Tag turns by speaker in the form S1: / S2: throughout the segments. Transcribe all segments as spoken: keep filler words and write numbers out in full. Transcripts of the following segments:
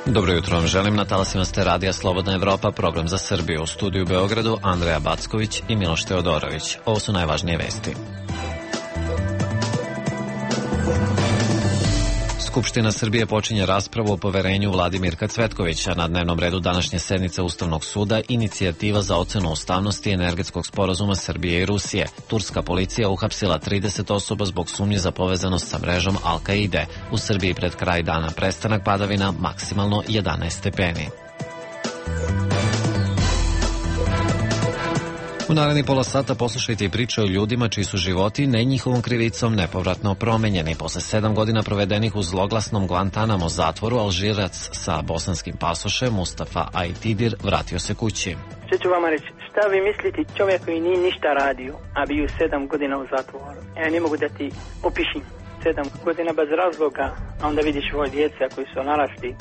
S1: Dobro jutro vam želim, na talasima ste radija Slobodna Evropa, program za Srbiju. U studiju u Beogradu Andreja Backović i Miloš Teodorović. Ovo su najvažnije vesti. Skupština Srbije počinje raspravu o poverenju vladi Mirka Cvetkovića. Na dnevnom redu današnje sednice Ustavnog suda inicijativa za ocenu ustavnosti energetskog sporazuma Srbije i Rusije. Turska policija uhapsila trideset osoba zbog sumnje za povezanost sa mrežom Al-Kaide. U Srbiji pred kraj dana prestanak padavina, maksimalno jedanaest stepeni. U narednih pola sata poslušajte i priče o ljudima čiji su životi ne njihovom krivicom nepovratno promenjeni. Posle sedam godina provedenih u zloglasnom Guantanamo zatvoru, Alžirac sa bosanskim pasošem Mustafa Aitidir vratio se kući.
S2: Što ću vama reći, šta vi mislite čovjek koji nije ništa radio, a bio sedam godina u zatvoru? Ja ne mogu da ti opišim sedam godina bez razloga, a onda vidiš svoje djeca koji su narasli.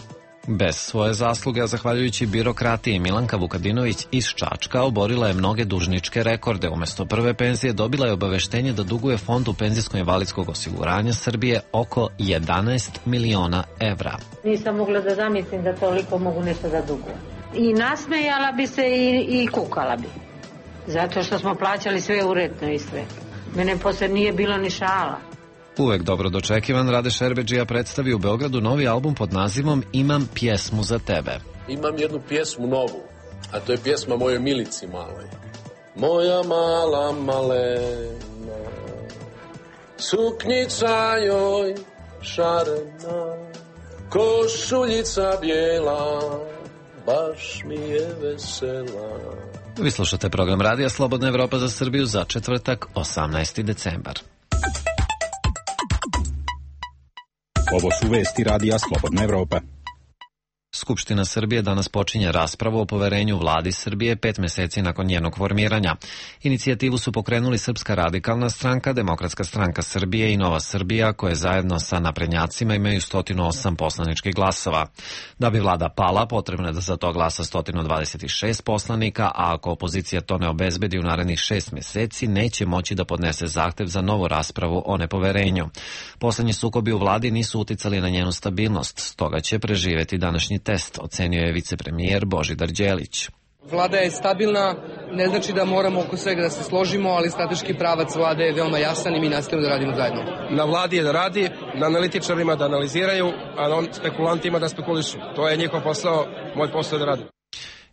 S1: Bez svoje zasluge, a zahvaljujući birokratiji, Milanka Vukadinović iz Čačka oborila je mnoge dužničke rekorde. Umesto prve penzije dobila je obaveštenje da duguje Fondu penzijsko-invalidskog osiguranja Srbije oko jedanaest miliona evra.
S3: Nisam mogla da zamislim da toliko mogu nešto da dugujem. I nasmejala bi se i, i kukala bi. Zato što smo plaćali sve uredno i sve. Mene posle nije bilo ni šala.
S1: Uvek dobro dočekivan, Rade Šerbedžija predstavi u Beogradu novi album pod nazivom Imam pjesmu za tebe.
S4: Imam jednu pjesmu novu, a to je pjesma mojoj Milici maloj. Moja mala malena, suknjica joj šarena, košuljica bijela, baš mi je vesela.
S1: Vi slušate program Radija Slobodna Evropa za Srbiju za četvrtak, osamnaesti decembar.
S5: Ovo su vesti Radija Slobodna Evropa.
S1: Skupština Srbije danas počinje raspravu o poverenju vladi Srbije pet meseci nakon njenog formiranja. Inicijativu su pokrenuli Srpska radikalna stranka, Demokratska stranka Srbije i Nova Srbija, koje zajedno sa naprednjacima imaju sto osam poslaničkih glasova. Da bi vlada pala, potrebno je da za to glasa sto dvadeset šest poslanika, a ako opozicija to ne obezbedi u narednih šest meseci, neće moći da podnese zahtev za novu raspravu o nepoverenju. Poslednji sukobi u vladi nisu uticali na njenu stabilnost, stoga će preživeti današnji test, ocenio je vicepremijer Božidar Đelić.
S6: Vlada je stabilna, ne znači da moramo oko svega da se složimo, ali strateški pravac vlade je veoma jasan i mi nastavimo da radimo zajedno.
S7: Na vladi je da radi, na analitičarima da analiziraju, a na spekulantima da spekulišu. To je njihov posao, moj posao je da radi.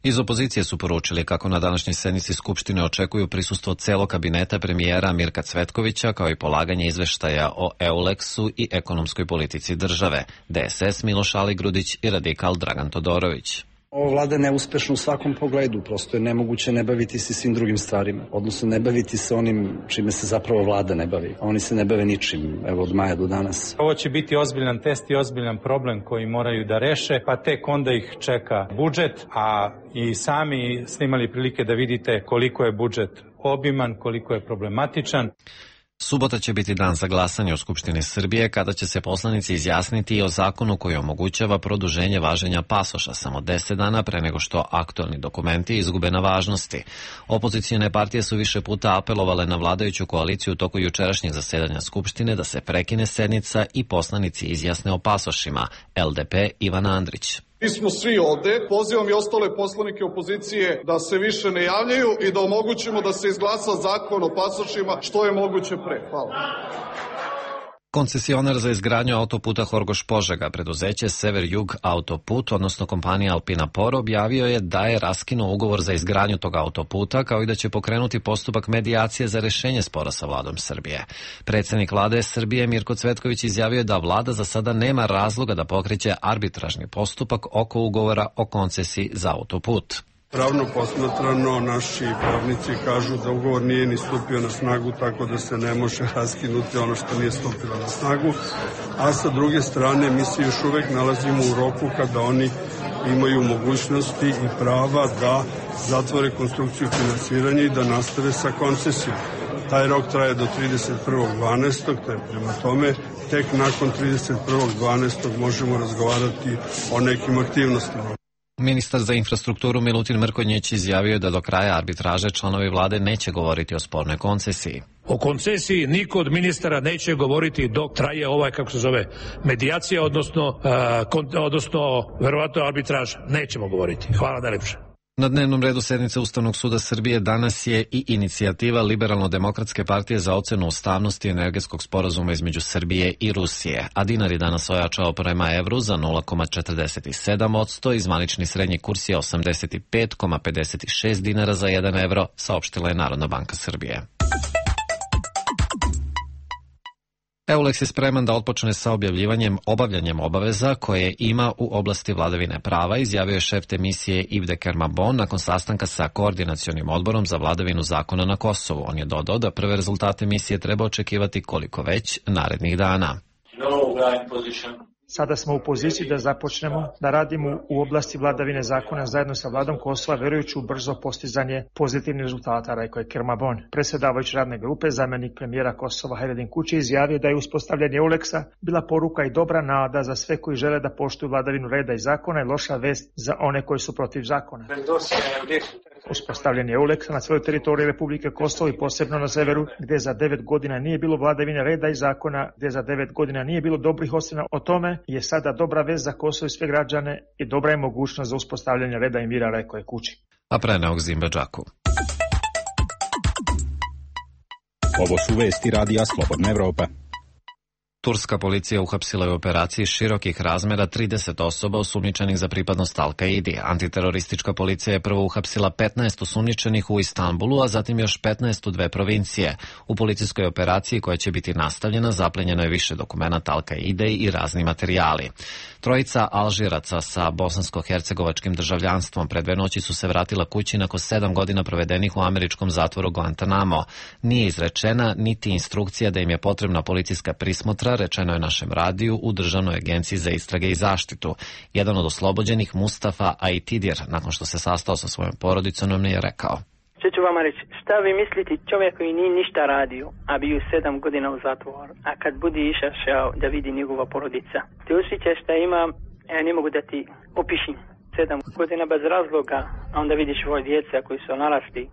S1: Iz opozicije su poručili kako na današnjoj sednici Skupštine očekuju prisustvo celog kabineta premijera Mirka Cvetkovića, kao i polaganje izveštaja o Euleksu i ekonomskoj politici države. D S S Miloš Aligrudić i radikal Dragan Todorović.
S8: Ova vlada je neuspešna u svakom pogledu, prosto je nemoguće ne baviti se svim drugim stvarima, odnosno ne baviti se onim čime se zapravo vlada ne bavi. Oni se ne bave ničim, evo od maja do danas.
S9: Ovo će biti ozbiljan test i ozbiljan problem koji moraju da reše, pa tek onda ih čeka budžet, a i sami ste imali prilike da vidite koliko je budžet obiman, koliko je problematičan.
S1: Subota će biti dan za glasanje u Skupštini Srbije, kada će se poslanici izjasniti i o zakonu koji omogućava produženje važenja pasoša samo deset dana pre nego što aktualni dokumenti izgube na važnosti. Opozicione partije su više puta apelovale na vladajuću koaliciju u toku jučerašnjeg zasedanja Skupštine da se prekine sednica i poslanici izjasne o pasošima. L D P Ivana Andrić.
S10: Mi smo svi ovde, pozivam i ostale poslanike opozicije da se više ne javljaju i da omogućimo da se izglasa zakon o pasošima što je moguće pre. Hvala.
S1: Koncesionar za izgradnju autoputa Horgoš-Požega, preduzeće Sever-Jug autoput, odnosno kompanija Alpina Por, objavio je da je raskinuo ugovor za izgradnju tog autoputa, kao i da će pokrenuti postupak medijacije za rešenje spora sa vladom Srbije. Predsednik vlade Srbije Mirko Cvetković izjavio je da vlada za sada nema razloga da pokreće arbitražni postupak oko ugovora o koncesiji za autoput.
S11: Pravno posmatrano, naši pravnici kažu da ugovor nije ni stupio na snagu, tako da se ne može raskinuti ono što nije stupilo na snagu, a sa druge strane mi se još uvek nalazimo u roku kada oni imaju mogućnosti i prava da zatvore konstrukciju finansiranja i da nastave sa koncesijom. Taj rok traje do trideset prvog dvanaestog te prema tome tek nakon trideset prvog dvanaestog možemo razgovarati o nekim aktivnostima.
S1: Ministar za infrastrukturu Milutin Mrkonjić izjavio je da do kraja arbitraže članovi vlade neće govoriti o spornoj koncesiji.
S12: O koncesiji niko od ministara neće govoriti dok traje ovaj, kako se zove, medijacija, odnosno, uh, kon, odnosno verovatno arbitraža. Nećemo govoriti. Hvala najlepše.
S1: Na dnevnom redu sednice Ustavnog suda Srbije danas je i inicijativa Liberalno-demokratske partije za ocenu ustavnosti energetskog sporazuma između Srbije i Rusije, a dinar je danas ojačao prema evru za nula zarez četrdeset sedam posto i zvanični srednji kurs je osamdeset pet zarez pedeset šest dinara za jedan evro, saopštila je Narodna banka Srbije. Eulex je spreman da otpočne sa objavljivanjem obavljanjem obaveza koje ima u oblasti vladavine prava, izjavio je šef te misije Yves de Kermabon nakon sastanka sa Koordinacionim odborom za vladavinu zakona na Kosovu. On je dodao da prve rezultate misije treba očekivati koliko već narednih dana.
S13: Sada smo u poziciji da započnemo da radimo u oblasti vladavine zakona zajedno sa vladom Kosova, verujući u brzo postizanje pozitivnih rezultata, rekao je Kermabon. Predsjedavajući radne grupe, zamjenik premijera Kosova Hajredin Kuči izjavio da je uspostavljanje Eulexa bila poruka i dobra nada za sve koji žele da poštuju vladavinu reda i zakona i loša vest za one koji su protiv zakona. Uspostavljanje Eulexa na svojoj teritoriji Republike Kosovo i posebno na severu, gde za devet godina nije bilo vladavine reda i zakona, gde za devet godina nije bilo dobrih ocena o tome, je sada dobra vest za Kosovo i sve građane i dobra je mogućnost za uspostavljanje reda i mira, rekao je Kuči.
S1: A preneog Zimbabđaku.
S5: Ovo su vesti radija Slobodna Evropa.
S1: Turska policija uhapsila je u operaciji širokih razmera trideset osoba osumnjičenih za pripadnost Al-Kaidi. Antiteroristička policija je prvo uhapsila petnaest osumnjičenih u Istanbulu, a zatim još petnaest u dve provincije. U policijskoj operaciji koja će biti nastavljena zaplenjeno je više dokumenata Al-Kaide i razni materijali. Trojica Alžiraca sa bosansko-hercegovačkim državljanstvom pred dve noći su se vratila kući nakon sedam godina provedenih u američkom zatvoru Guantanamo. Nije izrečena niti instrukcija da im je potrebna policijska prismotra, rečeno je našem radiju u Državnoj agenciji za istrage i zaštitu. Jedan od oslobođenih, Mustafa Aitidir, nakon što se sastao sa svojom porodicom, nam je rekao:
S2: Što ću vama reći, šta vi mislite čovjek koji nije ništa radio, a bio sedam godina u zatvoru, a kad budi išao da vidi njegova porodica, ti osjećaš šta ima, ja ne mogu da ti opišim, sedam godina bez razloga, a onda vidiš svoje djeca koji su narasli.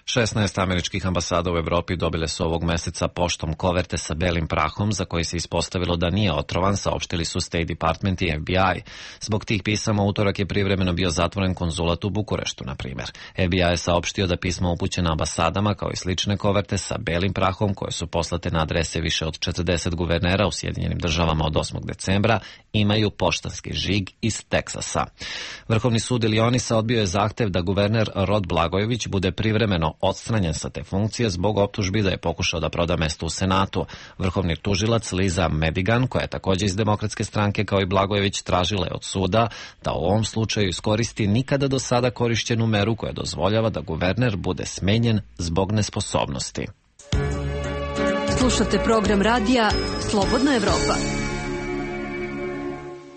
S1: šesnaest američkih ambasada u Evropi dobile su ovog meseca poštom koverte sa belim prahom za koji se ispostavilo da nije otrovan, saopštili su State Department i F B I. Zbog tih pisama utorak je privremeno bio zatvoren konzulat u Bukureštu, na primjer. F B I je saopštio da pisma upućena ambasadama kao i slične koverte sa belim prahom koje su poslate na adrese više od četrdeset guvernera u Sjedinjenim državama od osmog decembra imaju poštanski žig iz Teksasa. Vrhovni sud Ilionisa odbio je zahtev da guverner Rod Blagojević bude privremeno odstranjen sa te funkcije zbog optužbi da je pokušao da proda mesto u Senatu. Vrhovni tužilac Liza Medigan, koja je također iz Demokratske stranke kao i Blagojević, tražila je od suda da u ovom slučaju iskoristi nikada do sada korišćenu meru koja dozvoljava da guverner bude smenjen zbog nesposobnosti.
S14: Slušate program radija Slobodna Evropa.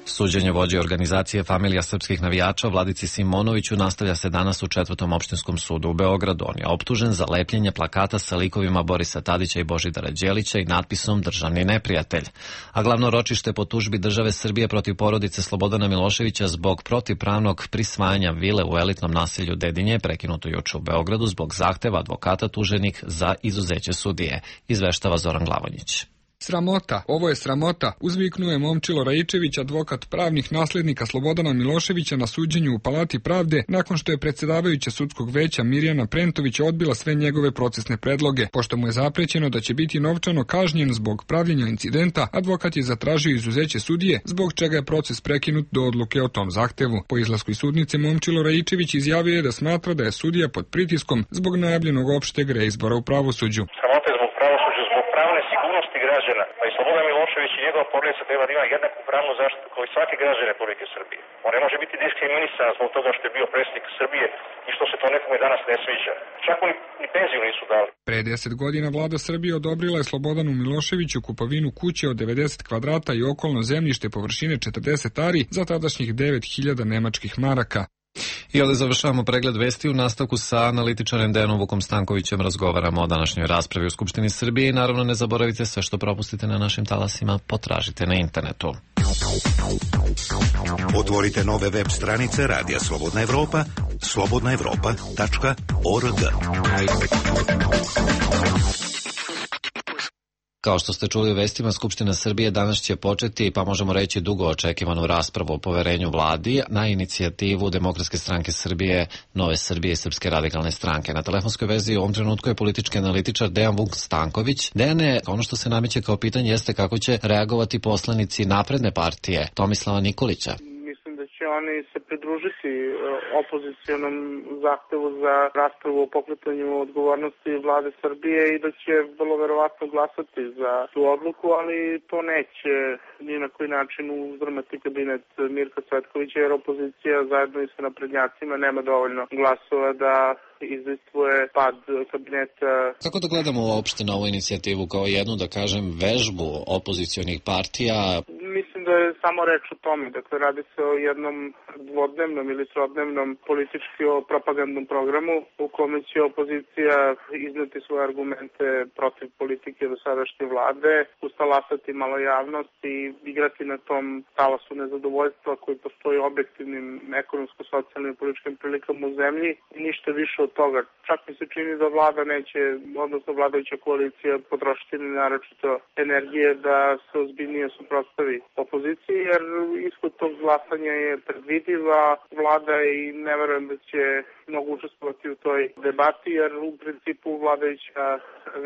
S1: Suđenje vođe organizacije Familija srpskih navijača Vladici Simonoviću nastavlja se danas u Četvrtom opštinskom sudu u Beogradu. On je optužen za lepljenje plakata sa likovima Borisa Tadića i Božidara Đelića i natpisom Državni neprijatelj. A glavno ročište po tužbi države Srbije protiv porodice Slobodana Miloševića zbog protivpravnog prisvajanja vile u elitnom naselju Dedinje je prekinuto juče u Beogradu zbog zahteva advokata tuženih za izuzeće sudije, izveštava Zoran Glavonjić.
S15: Sramota, ovo je sramota, uzviknuje Momčilo Raičević, advokat pravnih naslednika Slobodana Miloševića na suđenju u Palati pravde, nakon što je predsjedavajuća sudskog veća Mirjana Prentović odbila sve njegove procesne predloge. Pošto mu je zaprećeno da će biti novčano kažnjen zbog pravljenja incidenta, advokat je zatražio izuzeće sudije, zbog čega je proces prekinut do odluke o tom zahtevu. Po izlasku iz sudnice Momčilo Raičević izjavio je da smatra da je sudija pod pritiskom zbog najavljenog opšteg reizbora u pravosuđu.
S16: Građana, pa i Slobodan Milošević i njegova porodica treba da ima jednaku pravnu zaštitu kao i svaki građan Republike Srbije. On ne može biti diskriminisan zbog toga što je bio predsjednik Srbije i što se to nekome danas ne sviđa. Čak ni, ni penziju nisu dali.
S15: Pre deset godina vlada Srbije odobrila je Slobodanu Miloševiću kupovinu kuće od devedeset kvadrata i okolno zemljište površine četrdeset ari za tadašnjih devet hiljada nemačkih maraka.
S1: I ovdje završavamo pregled vesti. U nastavku sa analitičarem Dejanom Vukom Stankovićem razgovaramo o današnjoj raspravi u Skupštini Srbije i naravno ne zaboravite sve što propustite na našim talasima, potražite na internetu.
S17: Otvorite nove web stranice Radija Slobodna Evropa, slobodna evropa tačka org.
S1: Kao što ste čuli u vestima, Skupština Srbije danas će početi, pa možemo reći dugo očekivanu raspravu o poverenju vladi na inicijativu Demokratske stranke Srbije, Nove Srbije i Srpske radikalne stranke. Na telefonskoj vezi u ovom trenutku je politički analitičar Dejan Vuk Stanković. Dejane, ono što se nameće kao pitanje jeste kako će reagovati poslanici Napredne partije Tomislava Nikolića.
S18: Će oni se pridružiti opozicijonom zahtevu za raspravu o pokretanju odgovornosti vlade Srbije i da će vrlo verovatno glasati za tu odluku, ali to neće ni na koji način uzdrmati kabinet Mirka Cvetkovića, jer opozicija zajedno i sa naprednjacima nema dovoljno glasova da izdejstvuje pad kabineta.
S1: Kako da gledamo uopšte na ovu inicijativu kao jednu, da kažem, vežbu opozicionih partija?
S18: Mislim da je samo reč o tome. Dakle, radi se o jednom dvodnevnom ili trodnevnom političko-propagandnom programu u kome će opozicija izneti svoje argumente protiv politike dosadašnje vlade, ustalasati malo javnost i igrati na tom talasu nezadovoljstva koji postoji objektivnim ekonomsko-socijalnim i političkim prilikama u zemlji i ništa više od toga. Čak mi se čini da vlada neće, odnosno vladajuća koalicija potrošiti ni naročito energije da se ozbiljnije suprotstavi opoziciji, jer ishod tog glasanja je predvidiv, a vlada i ne verujem da će mnogo učestvovati u toj debati, jer u principu vladajuća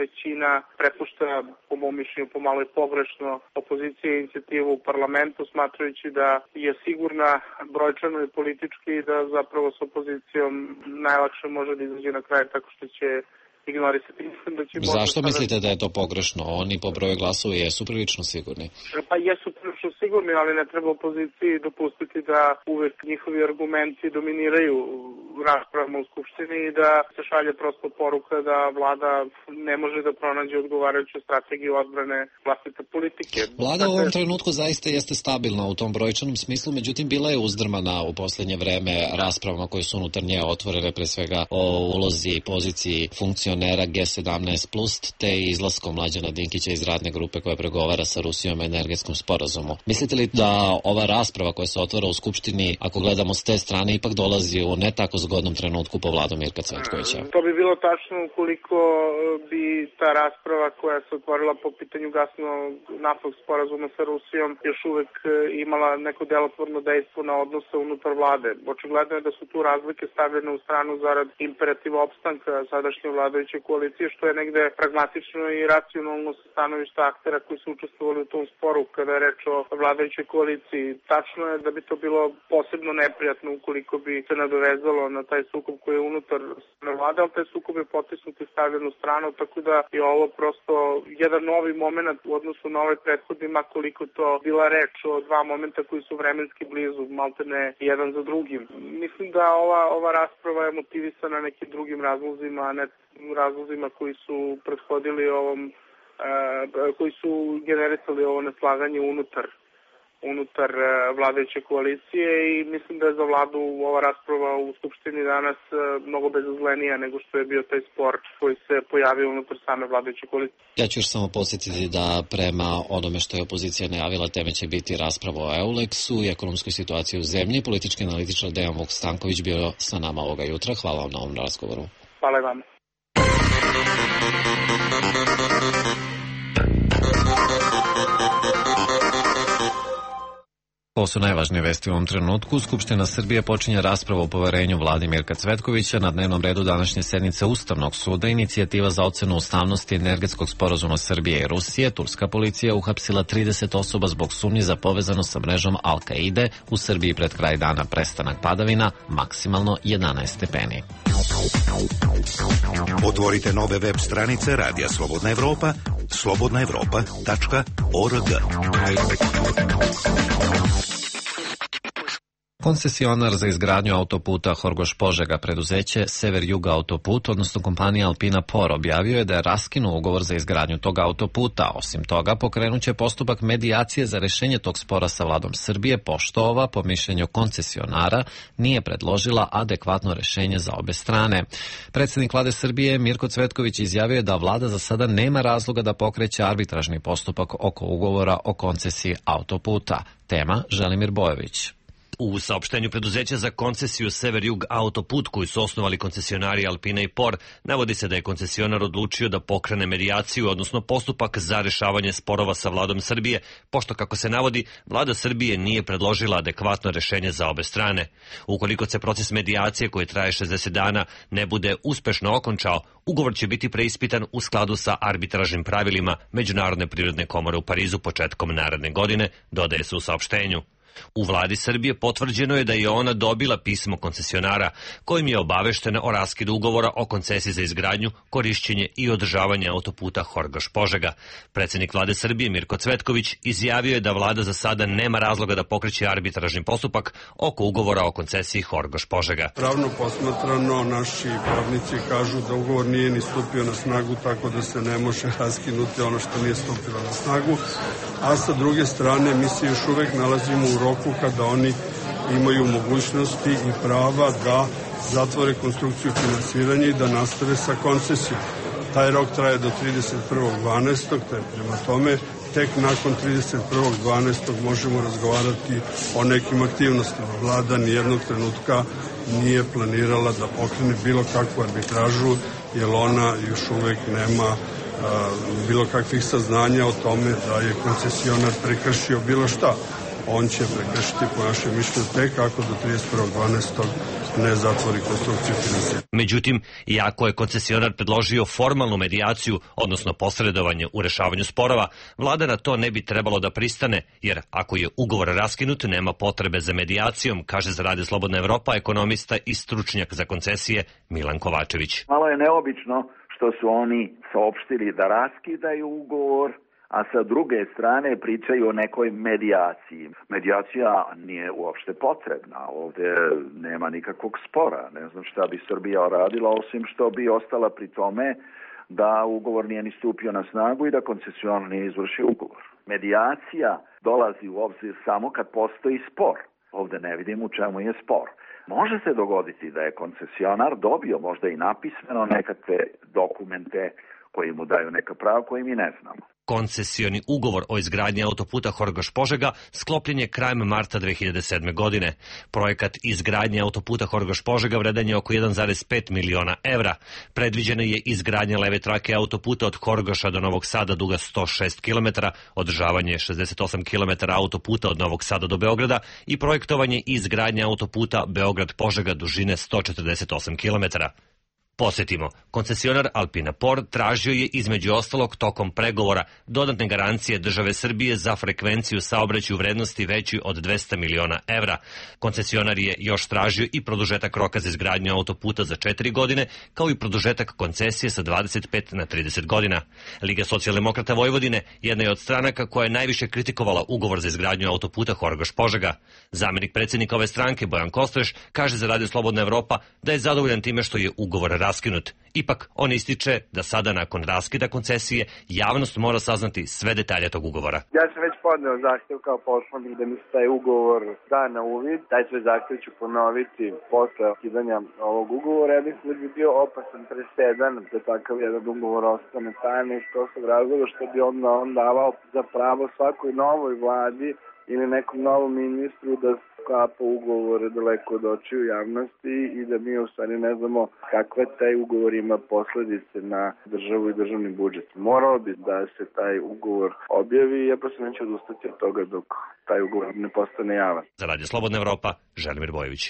S18: većina prepušta, po mom mišljenju, pomalo i pogrešno opozicije inicijativu u parlamentu, smatrajući da je sigurna brojčano i politički i da zapravo s opozicijom najlakše može da izađe na kraj tako što će ignorisati. Da će
S1: Zašto mislite da je to pogrešno? Oni po broju glasova jesu prilično sigurni.
S18: Pa jesu prilično sigurni, ali ne treba opoziciji dopustiti da uvek njihovi argumenti dominiraju raspravama u Skupštini i da se šalje prosto poruka da vlada ne može da pronađe odgovarajuću strategiju odbrane vlastite politike.
S1: Vlada u ovom trenutku zaista jeste stabilna u tom brojčanom smislu, međutim bila je uzdrmana u poslednje vreme raspravama koje su unutar nje otvorene, pre svega o ulozi i poziciji funkcionera G sedamnaest plus, te izlaskom Mlađana Dinkića iz radne grupe koja pregovara sa Rusijom o energetskom sporazumu. Mislite li da ova rasprava koja se otvara u Skupštini, ako gledamo s te strane, ipak dolazi u ne tako zgodnom trenutku po vladu Mirka Cvetkovića?
S18: To bi bilo tačno ukoliko bi ta rasprava koja se otvorila po pitanju gasno-naftnog sporazuma sa Rusijom još uvek imala neko delotvorno dejstvo na odnose unutar vlade. Očigledno je da su tu razlike stavljene u stranu zarad imperativa opstanka sadašnje vladajuće koalicije, što je negde pragmatično i racionalno sa stanovišta aktera koji su učestvovali u tom sporu kada je reč o vladajućoj koaliciji. Tačno je da bi to bilo posebno neprijatno ukoliko bi se nadovezalo na taj sukob koji je unutar vlade, ali taj sukob je potisnut i stavljen u stranu, tako da je ovo prosto jedan novi moment u odnosu na ovaj prethodni, makoliko to bila reč o dva momenta koji su vremenski blizu, maltene jedan za drugim. Mislim da ova, ova rasprava je motivisana nekim drugim razlozima, a ne razlozima koji su prethodili ovom, uh, koji su generisali ovo neslaganje unutar unutar vladajuće koalicije i mislim da je za vladu ova rasprava u Skupštini danas mnogo bezazlenija nego što je bio taj spor koji se pojavio unutar same vladajuće koalicije.
S1: Ja ću još samo podsjetiti da prema onome što je opozicija najavila, teme će biti rasprava o Euleksu i ekonomskoj situaciji u zemlji. Politički analitičar Dejan Vuk Stanković bio sa nama ovoga jutra. Hvala vam na ovom razgovoru.
S18: Hvala i vam.
S1: Ovo su najvažnije vesti u ovom trenutku. Skupština Srbije počinje raspravu o poverenju vladi Mirka Cvetkovića. Na dnevnom redu današnje sednice Ustavnog suda inicijativa za ocenu ustavnosti energetskog sporazuma Srbije i Rusije. Turska policija uhapsila trideset osoba zbog sumnji za povezanost sa mrežom Al-Kaide. U Srbiji pred kraj dana prestanak padavina, maksimalno jedanaest stepeni.
S17: Otvorite nove web stranice Radija Slobodna Evropa, slobodna evropa tačka org.
S1: Koncesionar za izgradnju autoputa Horgoš-Požega preduzeće Sever-Jug autoput, odnosno kompanija Alpina Por, objavio je da je raskinuo ugovor za izgradnju tog autoputa. Osim toga, pokrenuće postupak medijacije za rešenje tog spora sa vladom Srbije, pošto ova, po mišljenju koncesionara, nije predložila adekvatno rešenje za obe strane. Predsednik vlade Srbije Mirko Cvetković izjavio je da vlada za sada nema razloga da pokreće arbitražni postupak oko ugovora o koncesiji autoputa. Tema Želimir Bojović.
S19: U saopštenju preduzeća za koncesiju Sever-Jug autoput koju su osnovali koncesionari Alpina i Por, navodi se da je koncesionar odlučio da pokrene medijaciju, odnosno postupak za rešavanje sporova sa vladom Srbije, pošto, kako se navodi, vlada Srbije nije predložila adekvatno rešenje za obe strane. Ukoliko se proces medijacije, koji traje šezdeset dana, ne bude uspešno okončao, ugovor će biti preispitan u skladu sa arbitražnim pravilima Međunarodne privredne komore u Parizu početkom naredne godine, dodaje se u saopštenju. U vladi Srbije potvrđeno je da je ona dobila pismo koncesionara kojim je obaveštena o raskidu ugovora o koncesiji za izgradnju, korišćenje i održavanje autoputa Horgoš-Požega. Predsednik vlade Srbije Mirko Cvetković izjavio je da vlada za sada nema razloga da pokreće arbitražni postupak oko ugovora o koncesiji Horgoš-Požega.
S11: Pravno posmatrano, naši pravnici kažu da ugovor nije ni stupio na snagu, tako da se ne može raskinuti ono što nije stupilo na snagu, a sa druge strane mi se još uvek nalazimo u roku kada oni imaju mogućnosti i prava da zatvore konstrukciju finansiranja i da nastave sa koncesijom. Taj rok traje do trideset prvog dvanaestog te prema tome tek nakon trideset prvog dvanaestog možemo razgovarati o nekim aktivnostima. Vlada nijednog trenutka nije planirala da pokrene bilo kakvu arbitražu, jer ona još uvek nema a, bilo kakvih saznanja o tome da je koncesionar prekršio bilo šta. On će prekršiti, po našem mišljenju, tek ako do trideset prvog dvanaestog ne zatvori konstrukciju finansiranja.
S19: Međutim, iako je koncesionar predložio formalnu medijaciju, odnosno posredovanje u rešavanju sporova, vlada na to ne bi trebalo da pristane, jer ako je ugovor raskinut, nema potrebe za medijacijom, kaže za Radio Slobodna Evropa ekonomista i stručnjak za koncesije Milan Kovačević.
S20: Malo je neobično što su oni saopštili da raskidaju ugovor, a sa druge strane pričaju o nekoj medijaciji. Medijacija nije uopšte potrebna, ovde nema nikakvog spora. Ne znam šta bi Srbija radila, osim što bi ostala pri tome da ugovor nije ni stupio na snagu i da koncesionar nije izvršio ugovor. Medijacija dolazi u obzir samo kad postoji spor. Ovde ne vidim u čemu je spor. Može se dogoditi da je koncesionar dobio možda i napismeno nekakve dokumente koji mu daju neka prava koje mi ne znamo.
S19: Koncesioni ugovor o izgradnji autoputa Horgoš-Požega sklopljen je krajem marta dve hiljade sedme. godine. Projekat izgradnje autoputa Horgoš-Požega vredan je oko jedan zarez pet miliona evra. Predviđena je izgradnja leve trake autoputa od Horgoša do Novog Sada duga sto šest kilometara, održavanje šezdeset osam kilometara autoputa od Novog Sada do Beograda i projektovanje i izgradnja autoputa Beograd-Požega dužine sto četrdeset osam kilometara. Posjetimo, koncesionar Alpina Por tražio je između ostalog tokom pregovora dodatne garancije države Srbije za frekvenciju saobraćaja u vrednosti većoj od dvesta miliona evra. Koncesionar je još tražio i produžetak roka za izgradnju autoputa za četiri godine, kao i produžetak koncesije sa dvadeset pet na trideset godina. Liga socijaldemokrata Vojvodine jedna je od stranaka koja je najviše kritikovala ugovor za izgradnju autoputa Horgoš-Požega. Zamenik predsjednika ove stranke Bojan Kostreš kaže za Radio Slobodna Evropa da je zadovoljan time što je ugovor raskinut. Ipak, on ističe da sada nakon raskida koncesije javnost mora saznati sve detalje tog ugovora.
S21: Ja sam već podneo zahtev kao poslanik da mi se taj ugovor da na uvid. Taj svoj zahtev ću ponoviti posle ukidanja ovog ugovora. Ja mislim da bi bio opasan presedan da takav jedan ugovor ostane tajni iz prostog razloga što bi onda on davao za pravo svakoj novoj vladi ili nekom novom ministru da sklapa ugovore daleko od očiju javnosti i da mi u stvari ne znamo kakve taj ugovor ima posledice na državu i državni budžet. Morao bi da se taj ugovor objavi i ja prosto neću odustati od toga dok taj ugovor ne postane javan.
S19: Za Radio Slobodna Evropa, Želimir Bojović.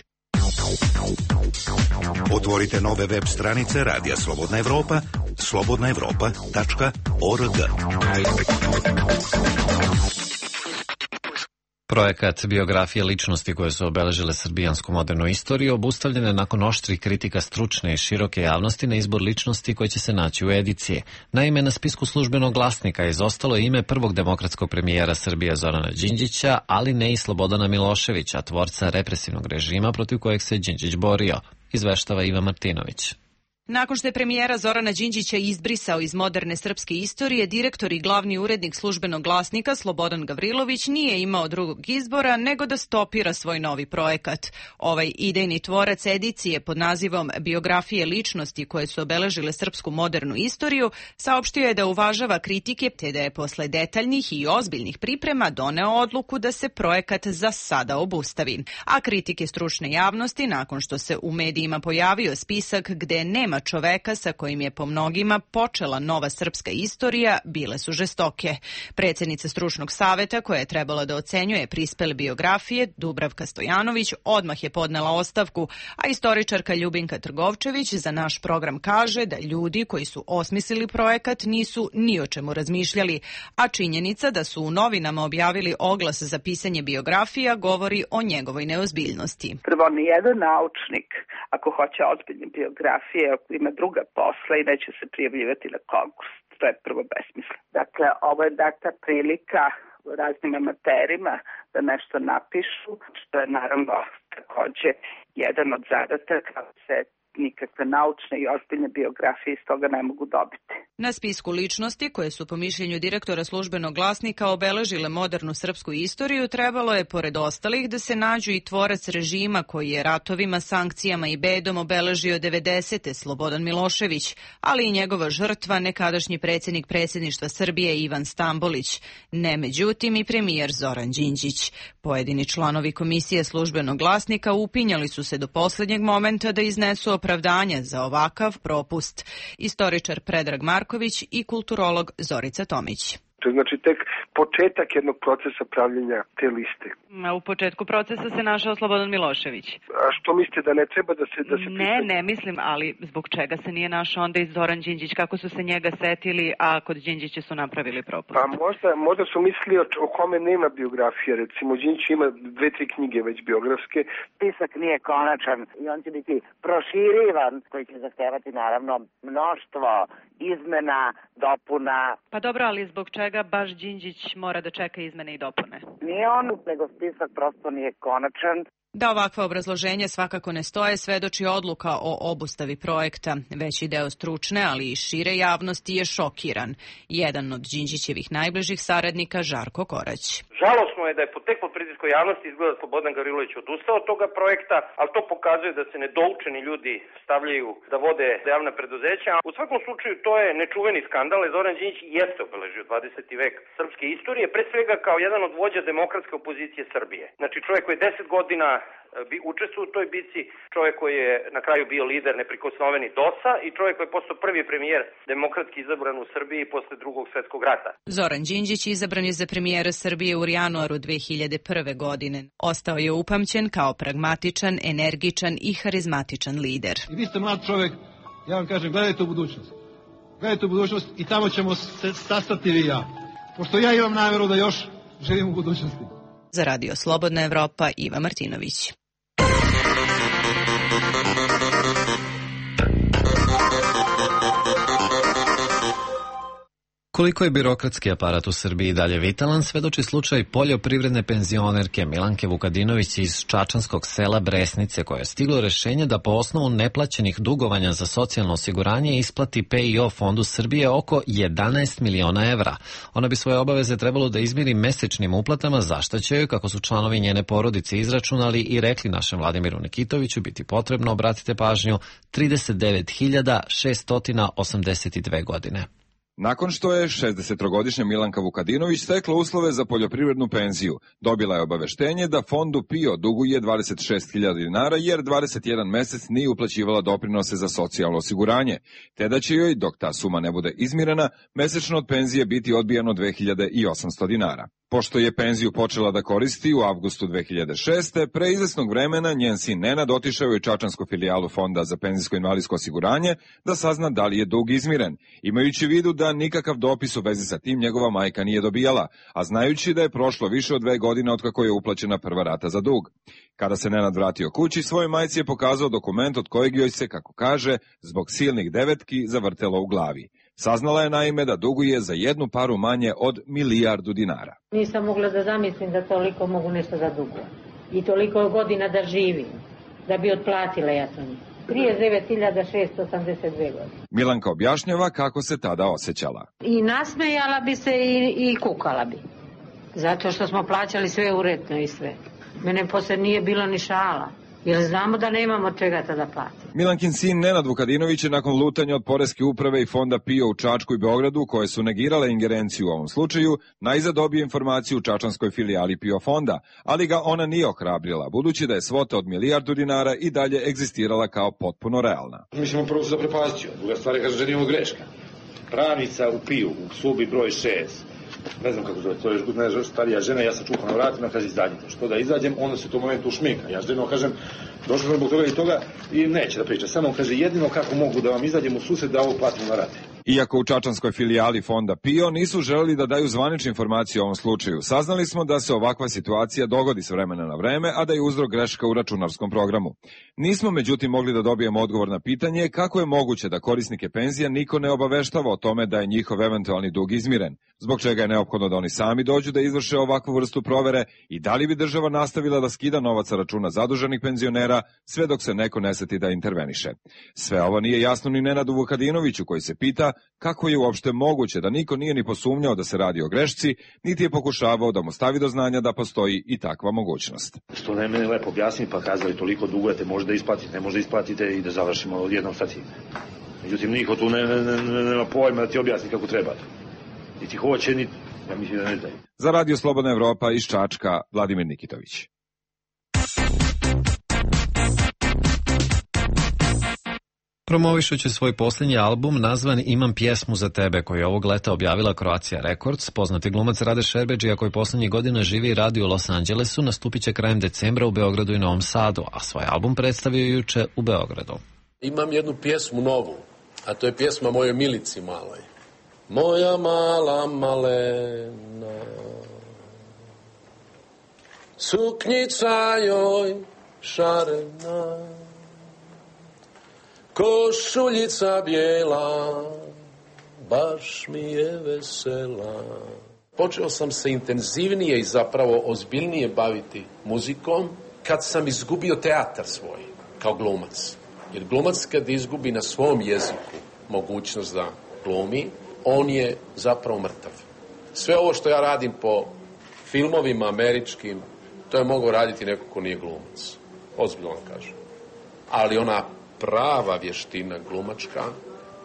S17: Otvorite nove web stranice Radija Slobodna Evropa, slobodna evropa tačka org.
S1: Projekat biografije ličnosti koje su obeležile srbijansku modernu istoriju obustavljen je nakon oštrih kritika stručne i široke javnosti na izbor ličnosti koje će se naći u ediciji. Naime, na spisku službenog glasnika izostalo je ime prvog demokratskog premijera Srbije Zorana Đinđića, ali ne i Slobodana Miloševića, tvorca represivnog režima protiv kojeg se Đinđić borio, izveštava Iva Martinović.
S3: Nakon što je premijera Zorana Đinđića izbrisao iz moderne srpske istorije, direktor i glavni urednik službenog glasnika Slobodan Gavrilović nije imao drugog izbora nego da stopira svoj novi projekat. Ovaj idejni tvorac edicije pod nazivom Biografije ličnosti koje su obeležile srpsku modernu istoriju saopštio je da uvažava kritike te da je posle detaljnih i ozbiljnih priprema doneo odluku da se projekat za sada obustavi. A kritike stručne javnosti, nakon što se u medijima pojavio spisak gde nema čoveka sa kojim je po mnogima počela nova srpska istorija, bile su žestoke. Predsjednica stručnog saveta koja je trebala da ocenjuje prispele biografije, Dubravka Stojanović, odmah je podnela ostavku, a istoričarka Ljubinka Trgovčević za naš program kaže da ljudi koji su osmislili projekat nisu ni o čemu razmišljali, a činjenica da su u novinama objavili oglas za pisanje biografija govori o njegovoj neozbiljnosti.
S22: Prvo, nijedan naučnik, ako hoće ozbiljne biografije, ako ima druga posla i neće se prijavljivati na konkurs. To je prvo besmisleno. Dakle, ovo je data prilika raznim amaterima da nešto napišu, što je naravno takođe jedan od zadataka, se nikakve naučne i ozbiljne biografije iz toga ne mogu dobiti.
S3: Na spisku ličnosti koje su po mišljenju direktora službenog glasnika obeležile modernu srpsku istoriju, trebalo je pored ostalih da se nađu i tvorac režima koji je ratovima, sankcijama i bedom obeležio devedesete Slobodan Milošević, ali i njegova žrtva, nekadašnji predsjednik predsjedništva Srbije Ivan Stambolić, ne međutim i premijer Zoran Đinđić. Pojedini članovi komisije službenog glasnika upinjali su se do posljednjeg momenta da iznesu opravdanja za ovakav propust. Istoričar Predrag Marković i kulturolog Zorica Tomić.
S23: To je znači tek početak jednog procesa pravljenja te liste.
S3: A u početku procesa se našao Slobodan Milošević.
S23: A što mislite da ne treba da se... Da se
S3: ne, ne mislim, ali zbog čega se nije našao onda i Zoran Đinđić? Kako su se njega setili, a kod Đinđića su napravili propust?
S23: Pa možda, možda su mislili o, o kome nema biografije. Recimo, Đinđić ima dve, tri knjige već biografske.
S24: Spisak nije konačan i on će biti proširivan, koji će zahtevati naravno mnoštvo izmena, dopuna.
S3: Pa dobro, ali zbog čega baš Đinđić mora da čeka izmene i dopune?
S24: Nije on, nego spisak prosto nije konačan.
S3: Da ovakva obrazloženja svakako ne stoje, svedoči odluka o obustavi projekta. Veći deo stručne, ali i šire javnosti je šokiran. Jedan od Đinđićevih najbližih saradnika, Žarko Korać.
S25: Žalosno je da je tek pod pritiskom javnosti izgleda Slobodan Gavrilović odustao od toga projekta, ali to pokazuje da se nedoučeni ljudi stavljaju da vode javna preduzeća. U svakom slučaju to je nečuveni skandal. Zoran Đinđić jeste obeležio dvadeseti vek srpske istorije, pre svega kao jedan od vođa demokratske opozicije Srbije. Znači čovjek koji je deset godina bi učestvovao u toj bici, čovjek koji je na kraju bio lider neprikosnoveni D O S-a i čovjek koji je postao prvi premijer demokratski izabran u Srbiji posle drugog svjetskog rata.
S3: Zoran Đinđić izabran je za premijera Srbije u januaru dve hiljade prve. godine. Ostao je upamćen kao pragmatičan, energičan i harizmatičan lider.
S26: I vi ste mlad čovjek, ja vam kažem, gledajte u budućnost. Gledajte u budućnost i tamo ćemo se sastati vi i ja. Pošto ja imam namjeru da još živim u budućnosti.
S3: Za Radio Slobodna Evropa, Iva Martinović.
S1: Koliko je birokratski aparat u Srbiji dalje vitalan, svedoči slučaj poljoprivredne penzionerke Milanke Vukadinović iz čačanskog sela Bresnice, koje je stiglo rešenje da po osnovu neplaćenih dugovanja za socijalno osiguranje isplati P I O fondu Srbije oko jedanaest miliona evra. Ona bi svoje obaveze trebalo da izmiri mesečnim uplatama, za šta će joj, kako su članovi njene porodice izračunali i rekli našem Vladimiru Nikitoviću, biti potrebno, obratite pažnju, trideset devet hiljada šeststo osamdeset dve godine.
S27: Nakon što je šezdesettrogodišnja Milanka Vukadinović stekla uslove za poljoprivrednu penziju, dobila je obaveštenje da fondu P I O duguje dvadeset šest hiljada dinara jer dvadeset jedan mesec nije uplaćivala doprinose za socijalno osiguranje, te da će joj, dok ta suma ne bude izmirena, mesečno od penzije biti odbijano dve hiljade osamsto dinara. Pošto je penziju počela da koristi u avgustu dve hiljade šeste. pre izvesnog vremena njen sin Nenad otišao je u čačansku filijalu Fonda za penzijsko-invalidsko osiguranje da sazna da li je dug izmiren, imajući u vidu da nikakav dopis u vezi sa tim njegova majka nije dobijala, a znajući da je prošlo više od dve godine otkako je uplaćena prva rata za dug. Kada se Nenad vratio kući, svojoj majci je pokazao dokument od kojeg joj se, kako kaže, zbog silnih devetki zavrtelo u glavi. Saznala je naime da duguje za jednu paru manje od milijardu dinara.
S4: Nisam mogla da zamislim da toliko mogu nešto da dugujem. I toliko godina da živim, da bi otplatila ja to njih. trideset devet hiljada šeststo osamdeset dve godine.
S27: Milanka objašnjava kako se tada osjećala.
S4: I nasmejala bi se i, i kukala bi. Zato što smo plaćali sve uredno i sve. Mene posle nije bilo ni šala. Jer znamo da nemamo čega tada platiti.
S27: Milankin sin Nenad Vukadinović je nakon lutanja od Poreske uprave i Fonda PIO u Čačku i Beogradu, koje su negirale ingerenciju u ovom slučaju, najzad dobio informaciju u čačanskoj filijali PIO fonda, ali ga ona nije ohrabrila, budući da je svota od milijardu dinara i dalje egzistirala kao potpuno realna.
S6: Mislim, prvo se zaprepastio. Druga stvar je, kaže, že nije ovo greška. Pravnica u PIO, u sobi broj šest, ne znam kako zove, to je još starija žena, ja sam čukao na vratima, kaže, izađite. Što da izađem, onda se u tom momentu ušminka. Ja ženo kažem, došao sam zbog toga i toga i neće da priča. Samo kaže, jedino kako mogu da vam izađem u susret da ovo platim na rate.
S27: Iako u čačanskoj filijali Fonda PIO nisu želeli da daju zvanične informacije o ovom slučaju, saznali smo da se ovakva situacija dogodi s vremena na vreme, a da je uzrok greška u računarskom programu. Nismo međutim mogli da dobijemo odgovor na pitanje kako je moguće da korisnike penzija niko ne obaveštava o tome da je njihov eventualni dug izmiren, zbog čega je neophodno da oni sami dođu da izvrše ovakvu vrstu provere i da li bi država nastavila da skida novac sa računa zaduženih penzionera sve dok se neko ne seti da interveniše. Sve ovo nije jasno ni Nenadu Vukadinoviću, koji se pita kako je uopšte moguće da niko nije ni posumnjao da se radi o grešci, niti je pokušavao da mu stavi do znanja da postoji i takva mogućnost.
S6: Što ne mene lepo objasni, pa kazali toliko dugujete, može da isplatite, ne može da isplatite i da završimo odjednom sa tim. Međutim, niko tu ne, ne, ne, ne, nema pojma da ti objasni kako treba. Niti hoće, niti, ja mislim da ne znaju.
S27: Za Radio Slobodna Evropa iz Čačka, Vladimir Nikitović.
S1: Promovišući svoj posljednji album nazvan Imam pjesmu za tebe, koji je ovog leta objavila Croatia Records, poznati glumac Rade Šerbedžija, koji posljednjih godina živi i radi u Los Angelesu, nastupit će krajem decembra u Beogradu i Novom Sadu, a svoj album predstavio juče u Beogradu.
S7: Imam jednu pjesmu novu, a to je pjesma mojoj Milici maloj. Moja mala malena, suknjica joj šarena, košuljica bijela, baš mi je vesela. Počeo sam se intenzivnije i zapravo ozbiljnije baviti muzikom kad sam izgubio teatar svoj kao glumac. Jer glumac kad izgubi na svom jeziku mogućnost da glumi, on je zapravo mrtav. Sve ovo što ja radim po filmovima američkim, to je mogao raditi neko ko nije glumac. Ozbiljno vam kažem. Ali ona prava vještina glumačka,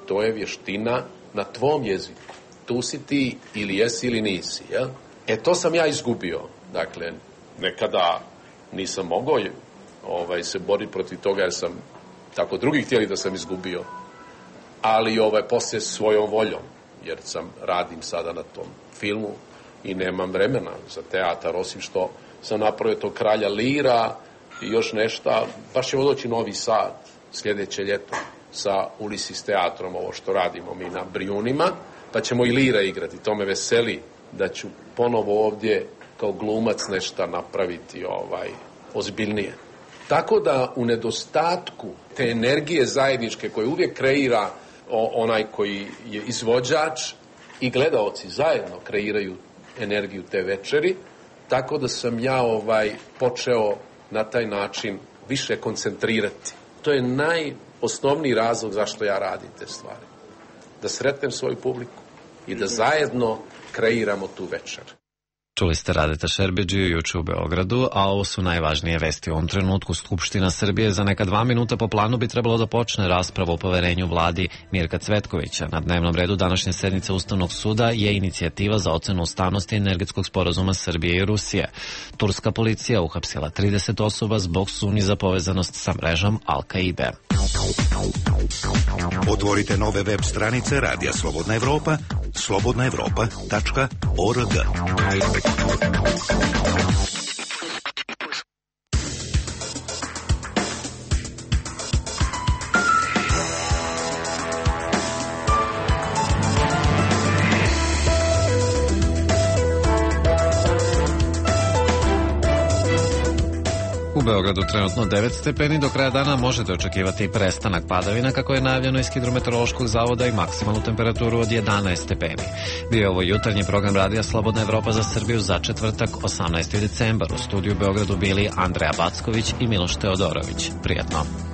S7: to je vještina na tvom jeziku. Tu si ti ili jesi ili nisi, jel? E to sam ja izgubio. Dakle, nekada nisam mogao ovaj, se boriti protiv toga jer sam tako drugi htjeli da sam izgubio. Ali ovaj, poslije svojom voljom, jer sam radim sada na tom filmu i nemam vremena za teatar, osim što sam napravio to Kralja Lira i još nešto. Baš ćemo doći Novi Sad sljedeće ljeto sa Ulisis teatrom, ovo što radimo mi na Brijunima, pa ćemo i Lira igrati. To me veseli da ću ponovo ovdje kao glumac nešto napraviti ovaj, ozbiljnije. Tako da u nedostatku te energije zajedničke koje uvijek kreira onaj koji je izvođač i gledaoci zajedno kreiraju energiju te večeri, tako da sam ja ovaj počeo na taj način više koncentrirati. To je najosnovniji razlog zašto ja radim te stvari. Da sretnem svoju publiku i da zajedno kreiramo tu večer.
S1: Čuli ste Radeta Šerbedžiju juče u Beogradu, a ovo su najvažnije vesti u ovom trenutku. Skupština Srbije za neka dva minuta po planu bi trebalo da počne rasprava o poverenju vladi Mirka Cvetkovića. Na dnevnom redu današnje sednice Ustavnog suda je inicijativa za ocenu ustavnosti energetskog sporazuma Srbije i Rusije. Turska policija uhapsila trideset osoba zbog sumnji za povezanost sa mrežom Al-Kaide.
S17: Otvorite nove web stranice Radija Slobodna Evropa, slobodna evropa tačka org.
S1: U Beogradu trenutno devet stepeni, do kraja dana možete očekivati prestanak padavina kako je najavljeno iz Hidrometeorološkog zavoda i maksimalnu temperaturu od jedanaest stepeni. Bio je ovo jutarnji program radija Slobodna Evropa za Srbiju za četvrtak osamnaesti decembar. U studiju u Beogradu bili Andreja Backović i Miloš Teodorović. Prijatno.